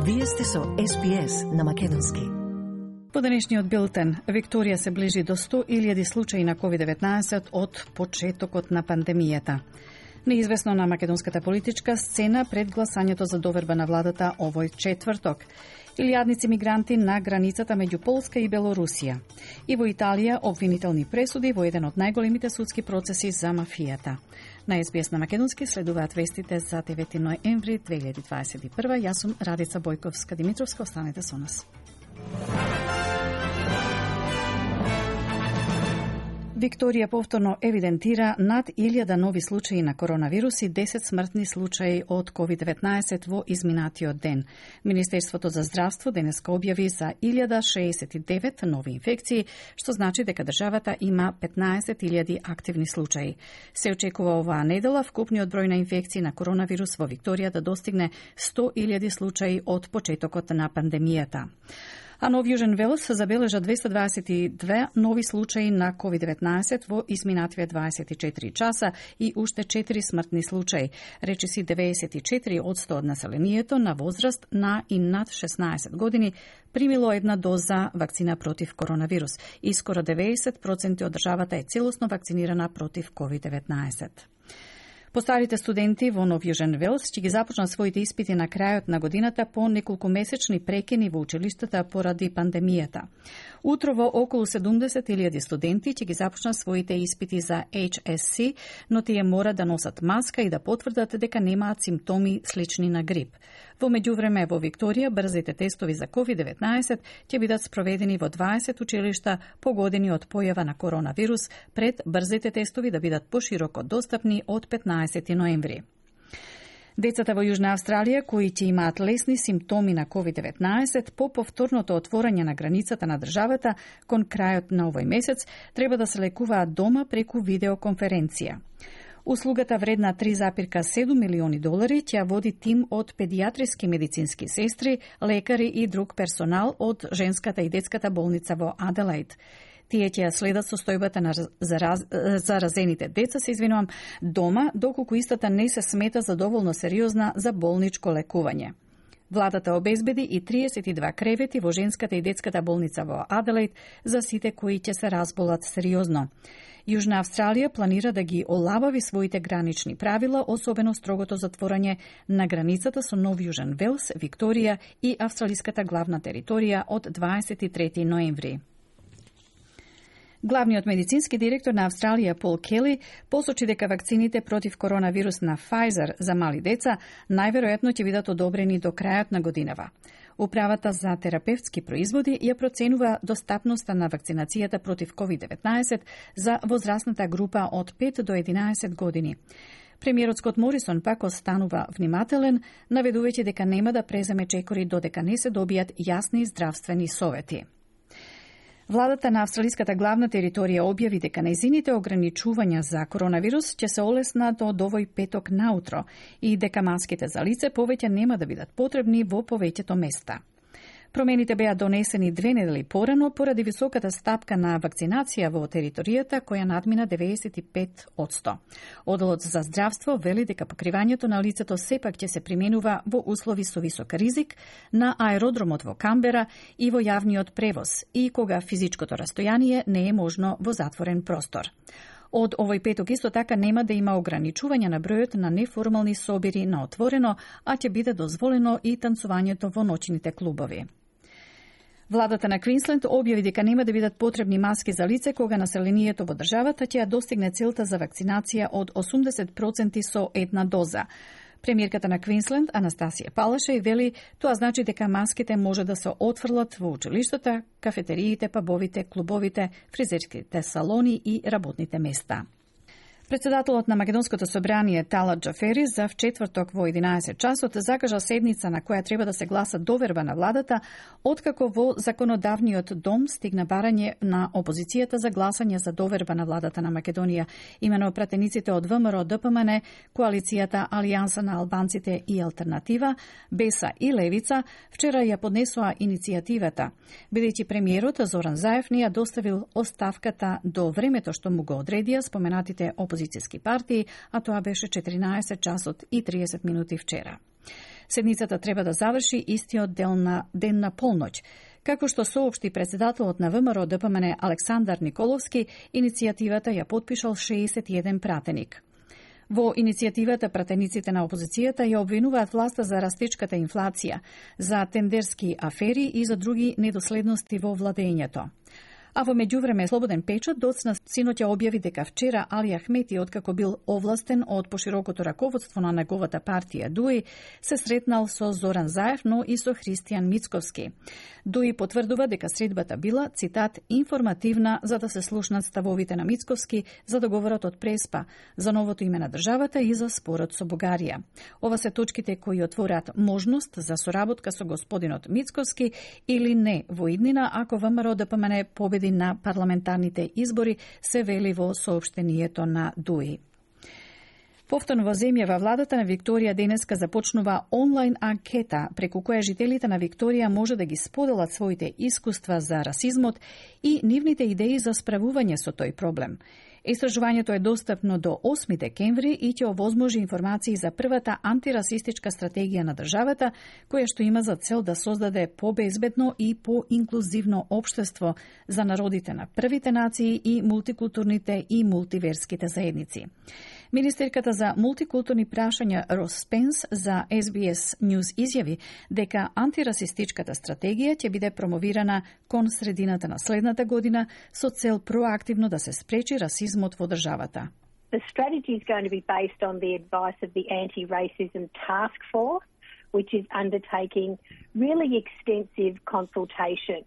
Вие сте со SBS на македонски. По денешниот билтен, Викторија се ближи до 100.000 случаи на COVID-19 од почетокот на пандемијата. Неизвестно на македонската политичка сцена пред гласањето за доверба на владата овој четврток. Илјадници мигранти на границата меѓу Полска и Белорусија. И во Италија обвинителни пресуди во еден од најголемите судски процеси за мафијата. На SBS на македонски следуваат вестите за 9 ноември 2021. Јас сум Радица Бојковска-Димитровска, останете со нас. Викторија повторно евидентира над 1000 нови случаи на коронавирус и 10 смртни случаи од COVID-19 во изминатиот ден. Министерството за здравство денеска објави за 1069 нови инфекции, што значи дека државата има 15.000 активни случаи. Се очекува оваа недела вкупниот број на инфекции на коронавирус во Викторија да достигне 100.000 случаи од почетокот на пандемијата. А Нов Јужен Велс забележа 222 нови случаи на COVID-19 во изминативе 24 часа и уште 4 смртни случаи. Речиси 94% од населението на возраст на и над 16 години примило една доза вакцина против коронавирус и скоро 90% од државата е целосно вакцинирана против COVID-19. Постарите студенти во Нов Јужен Велс ќе ги започнат своите испити на крајот на годината по неколку месечни прекини во училиштата поради пандемијата. Утрово околу 70.000 студенти ќе ги започнат своите испити за HSC, но тие мора да носат маска и да потврдат дека немаат симптоми слични на грип. Во меѓувреме во Викторија брзите тестови за COVID-19 ќе бидат спроведени во 20 училишта погодени од појава на коронавирус пред брзите тестови да бидат пошироко достапни од 15 ноември. Децата во Јужна Австралија кои ќе имаат лесни симптоми на COVID-19 по повторното отворање на границата на државата кон крајот на овој месец треба да се лекуваат дома преку видеоконференција. Услугата вредна $3,7 милиони ќе води тим од педијатриски медицински сестри, лекари и друг персонал од женската и детската болница во Аделаид. Тие ќе следат состојбата на заразените деца, дома, доколку истата не се смета за доволно сериозна за болничко лекување. Владата обезбеди и 32 кревети во женската и детската болница во Аделаид за сите кои ќе се разболат сериозно. Јужна Австралија планира да ги олабави своите гранични правила, особено строгото затворање на границата со Нов Јужен Велс, Викторија и австралиската главна територија од 23 ноември. Главниот медицински директор на Австралија Пол Кели посочи дека вакцините против коронавирус на Pfizer за мали деца најверојатно ќе бидат одобрени до крајот на годинава. Управата за терапевтски производи ја проценува достапноста на вакцинацијата против COVID-19 за возрастната група од 5 до 11 години. Премиерот Скот Морисон пак останува внимателен, наведувајќи дека нема да преземе чекори додека не се добијат јасни здравствени совети. Владата на австралиската главна територија објави дека нејзините ограничувања за коронавирус ќе се олеснат од овој петок наутро и дека маските за лице повеќе нема да бидат потребни во повеќето места. Промените беа донесени 2 недели порано поради високата стапка на вакцинација во територијата која надмина 95%. Одделот за здравство вели дека покривањето на лицето сепак ќе се применува во услови со висок ризик на аеродромот во Камбера и во јавниот превоз и кога физичкото растојание не е можно во затворен простор. Од овој петок исто така нема да има ограничување на бројот на неформални собири на отворено, а ќе биде дозволено и танцувањето во ноќните клубови. Владата на Квинсленд објави дека нема да бидат потребни маски за лице кога населението во државата ќе ја достигне целта за вакцинација од 80% со една доза. Премиерката на Квинсленд, Анастасија Палашеј, вели тоа значи дека маските може да се отфрлат во училиштата, кафетериите, пабовите, клубовите, фризерските салони и работните места. Председателот на Македонското собрание Талат Џафери за вчетврток во 11 часот закажа седница на која треба да се гласа доверба на владата, откако во законодавниот дом стигна барање на опозицијата за гласање за доверба на владата на Македонија. Имено пратениците од ВМРО ДПМН, коалицијата Алијанса на албанците и Алтернатива, Беса и Левица вчера ја поднесоа иницијативата, бидејќи премиерот Зоран Заев не ја доставил оставката до времето што му го одредија споменатите опозицијски партии, а тоа беше 14 часот и 30 минути вчера. Седницата треба да заврши истиот ден на полноќ. Како што соопшти председателот на ВМРО ДПМН Александар Николовски, иницијативата ја потпишал 61 пратеник. Во иницијативата пратениците на опозицијата ја обвинуваат власта за растечката инфлација, за тендерски афери и за други недоследности во владењето. А во меѓувреме Слободен печат доцна синоќа објави дека вчера Али Ахмети, откако бил овластен од поширокото раководство на неговата партија ДУИ, се сретнал со Зоран Заев, но и со Христијан Мицковски. ДУИ потврдува дека средбата била, цитат, информативна за да се слушнат ставовите на Мицковски за договорот од Преспа, за новото име на државата и за спорот со Бугарија. Ова се точките кои отворат можност за соработка со господинот Мицковски или не во иднина ако ВМРО ДПМН победи на парламентарните избори, се вели во соопштението на ДУИ. Повторно во земјава владата на Викторија денеска започнува онлайн анкета преку која жителите на Викторија може да ги споделат своите искуства за расизмот и нивните идеи за справување со тој проблем. Истражувањето е достапно до 8 декември и ќе овозможи информации за првата антирасистичка стратегија на државата, која што има за цел да создаде побезбедно и поинклузивно општество за народите на првите нации и мултикултурните и мултиверските заедници. Министерката за мултикултурни прашања Рос Спенс за SBS News изјави дека антирасистичката стратегија ќе биде промовирана кон средината на следната година со цел проактивно да се спречи расизмот во државата. The strategy is going to be based on the advice of the Anti-Racism Task Force, which is undertaking really extensive consultation,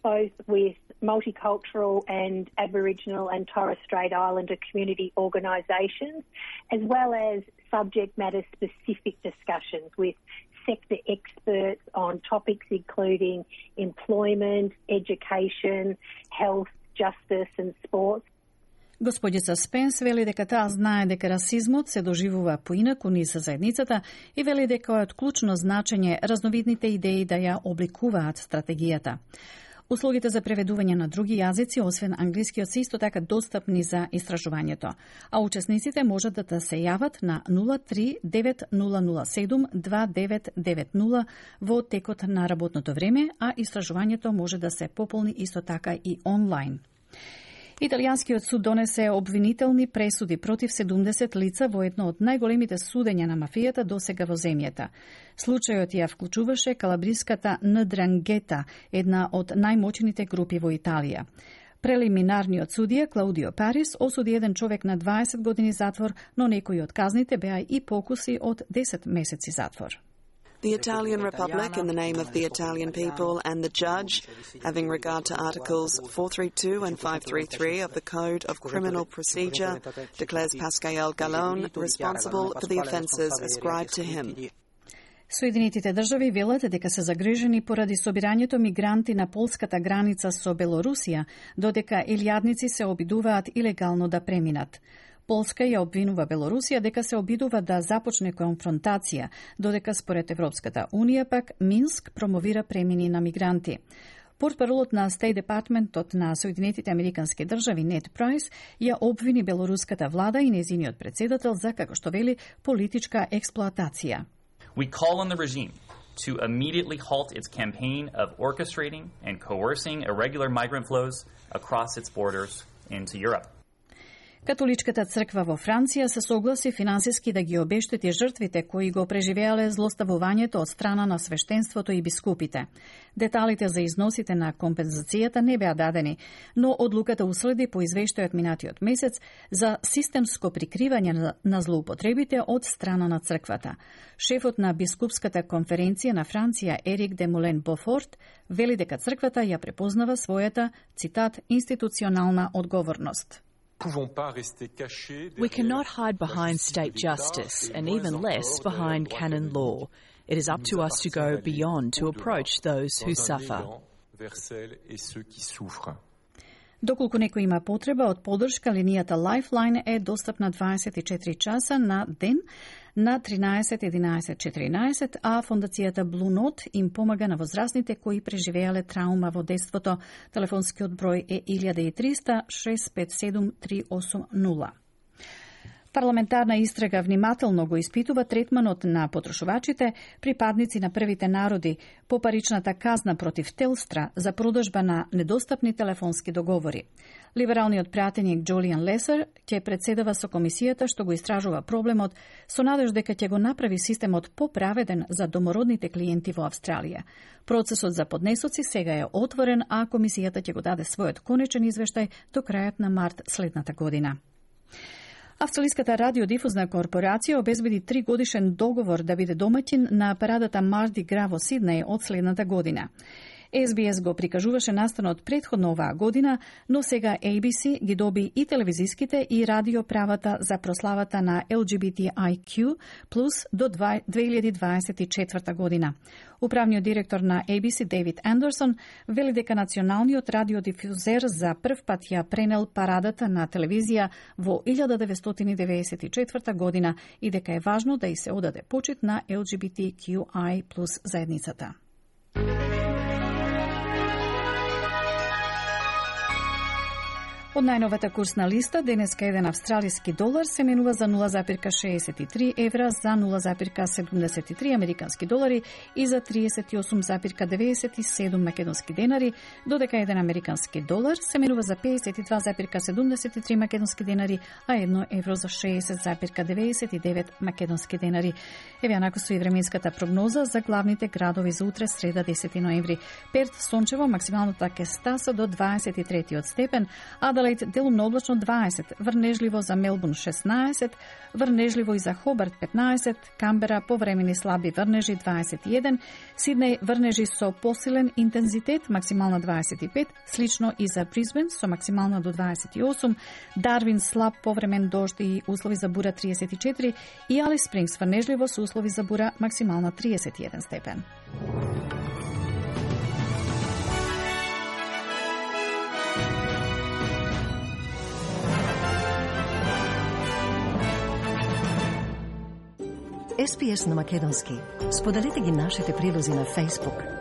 both with multicultural and Aboriginal and Torres Strait Islander community organisations, as well as subject matter specific discussions with sector experts on topics including employment, education, health, justice and sports. Господица Спенс вели дека таа знае дека расизмот се доживува поинаку низ заедницата и вели дека е од клучно значење разновидните идеи да ја обликуваат стратегијата. Услугите за преведување на други јазици, освен англискиот, се исто така достапни за истражувањето, а учесниците можат да се јават на 03-9007-2990 во текот на работното време, а истражувањето може да се пополни исто така и онлайн. Италијанскиот суд донесе обвинителни пресуди против 70 лица во едно од најголемите судења на мафијата досега во земјата. Случајот ја вклучуваше калабриската Ндрангета, една од најмоćните групи во Италија. Прелиминарниот судија Клаудио Парис осуди еден човек на 20 години затвор, но некои од казните беа и покуси од 10 месеци затвор. The Italian Republic, in the name of the Italian people and the judge, having regard to Articles 432 and 533 of the Code of Criminal Procedure, declares Pascal Gallone responsible for the offences ascribed to him. Соединетите држави велат дека се загрижени поради собирањето мигранти на полската граница со Белорусија, додека илјадници се обидуваат илегално да преминат. Полска ја обвинува Белорусија дека се обидува да започне конфронтација, додека според Европската Унија пак Минск промовира премини на мигранти. Портпаролот на State Departmentот на Соединетите Американски држави Нед Прайс ја обвини белоруската влада и нејзиниот председател за, како што вели, политичка експлоатација. We call on the regime to immediately halt its campaign of orchestrating and coercing irregular migrant flows across its borders into Europe. Католичката црква во Франција се согласи финансиски да ги обештети жртвите кои го преживеале злоставувањето од страна на свештенството и бискупите. Деталите за износите на компензацијата не беа дадени, но одлуката уследи по извештајот минатиот месец за системско прикривање на злоупотребите од страна на црквата. Шефот на бискупската конференција на Франција Ерик де Молен Бофорт вели дека црквата ја препознава својата, цитат, институционална одговорност. We cannot hide behind state justice, and even less behind canon law. It is up to us to go beyond to approach those who suffer. Доколку некој има потреба од поддршка, линијата Lifeline е достапна 24 часа на ден на 13 11 14, а фондацијата Blue Note им помага на возрастните кои преживеале траума во детството. Телефонскиот број е 1300 657 380. Парламентарна истрага внимателно го испитува третманот на потрошувачите, припадници на првите народи, по паричната казна против Телстра за продажба на недостапни телефонски договори. Либералниот пратеник Джолиан Лесер ќе председава со комисијата што го истражува проблемот со надеж дека ќе го направи системот поправеден за домородните клиенти во Австралија. Процесот за поднесоци сега е отворен, а комисијата ќе го даде својот конечен извештај до крајот на март следната година. Австралиската радиодифузна корпорација обезбеди 3-годишен договор да биде домаќин на парадата Марди Гра во Сиднеј од следната година. SBS го прикажуваше настанот предходно оваа година, но сега ABC ги доби и телевизиските и радиоправата за прославата на LGBTIQ+ до 2024 година. Управниот директор на ABC Дейвид Андерсон вели дека националниот радиодифузер за прв пат ја пренел парадата на телевизија во 1994 година и дека е важно да и се одаде почит на LGBTQI+ заедницата. Од најновата курсна листа, денеска еден австралиски долар се менува за 0,63 евра, за 0,73 американски долари и за 38,97 македонски денари, додека еден американски долар се менува за 52,73 македонски денари, а 1 евро за 60,99 македонски денари. Еве накако со и временската прогноза за главните градови за утре, среда 10 ноември. Перт сончево, максималната ќе стаса до 23 степен, Аделаид делумно облачно 20, врнежливо за Мелбурн 16, врнежливо и за Хобарт 15, Камбера повремени слаби врнежи 21, Сиднеј врнежи со посилен интензитет, максимална 25, слично и за Брисбен со максимална до 28, Дарвин слаб повремен дожд и услови за бура 34 и Алис Спрингс врнежливо со услови за бура максимална 31 степен. SPS на македонски. Споделете ги нашите прилози на Facebook,